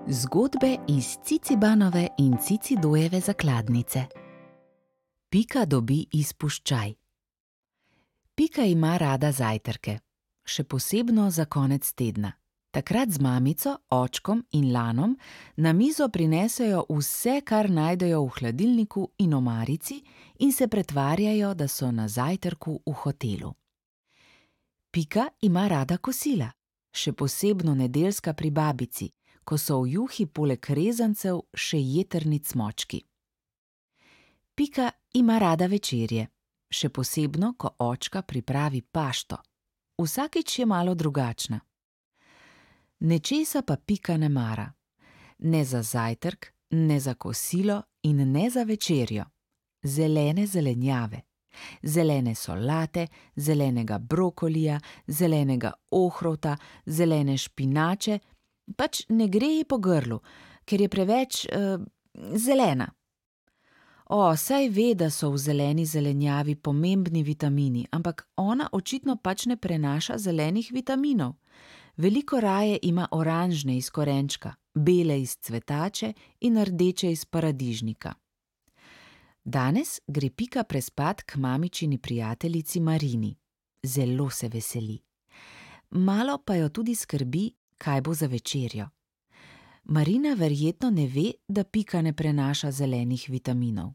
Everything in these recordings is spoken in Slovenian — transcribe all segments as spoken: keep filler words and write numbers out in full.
Zgodbe iz Cicibanove in Cicidojeve zakladnice. Pika dobi izpuščaj. Pika ima rada zajtrke, še posebno za konec tedna. Takrat z mamico, očkom in Lanom na mizo prinesejo vse, kar najdejo v hladilniku in omarici, in se pretvarjajo, da so na zajtrku v hotelu. Pika ima rada kosila, še posebno nedeljska pri babici, ko so v juhi poleg rezancev še jetrni cmočki. Pika ima rada večerje, še posebno, ko očka pripravi pašto. Vsakič je malo drugačna. Nečesa pa Pika ne mara. Ne za zajtrk, ne za kosilo in ne za večerjo. Zelene zelenjave. Zelene solate, zelenega brokolija, zelenega ohrovta, zelene špinače, pač ne gre ji po grlu, ker je preveč uh, zelena. O, saj ve, da so v zeleni zelenjavi pomembni vitamini, ampak ona očitno pač ne prenaša zelenih vitaminov. Veliko raje ima oranžne iz korenčka, bele iz cvetače in rdeče iz paradižnika. Danes gre Pika prespat k mamičini prijateljici Marini. Zelo se veseli. Malo pa jo tudi skrbi, kaj bo za večerjo. Marina verjetno ne ve, da Pika ne prenaša zelenih vitaminov.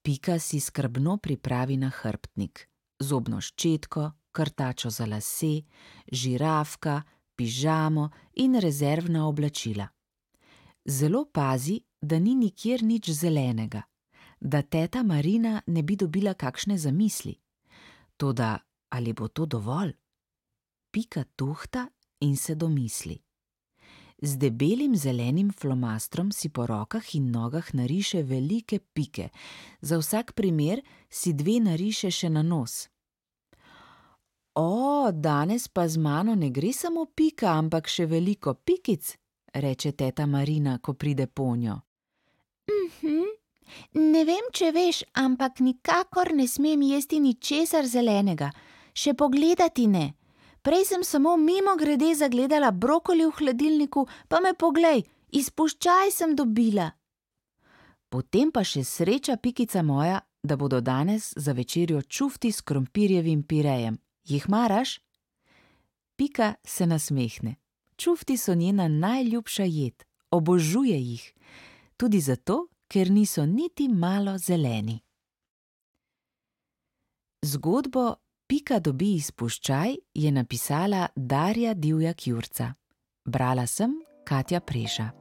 Pika si skrbno pripravi nahrbtnik, zobno ščetko, krtačo za lase, žirafka, pižamo in rezervna oblačila. Zelo pazi, da ni nikjer nič zelenega, da teta Marina ne bi dobila kakšne zamisli. Toda ali bo to dovolj? Pika tuhta in se domisli. Z debelim zelenim flomastrom si po rokah in nogah nariše velike pike, za vsak primer si dve nariše še na nos. O, danes pa z mano ne gre samo Pika, ampak še veliko pikic, reče teta Marina, ko pride ponjo. Mhm, ne vem, če veš, ampak nikakor ne smem jesti ničesar zelenega, še pogledati ne. Prej sem samo mimogrede zagledala brokoli v hladilniku, pa me poglej, izpuščaj sem dobila. Potem pa še sreča, Pikica moja, da bodo danes za večerjo čufti s krompirjevim pirejem. Jih maraš? Pika se nasmehne. Čufti so njena najljubša jed, obožuje jih. Tudi zato, ker niso niti malo zeleni. Zgodbo Pika dobi izpuščaj je napisala Darja Divjak Jurca. Brala sem Katja Preša.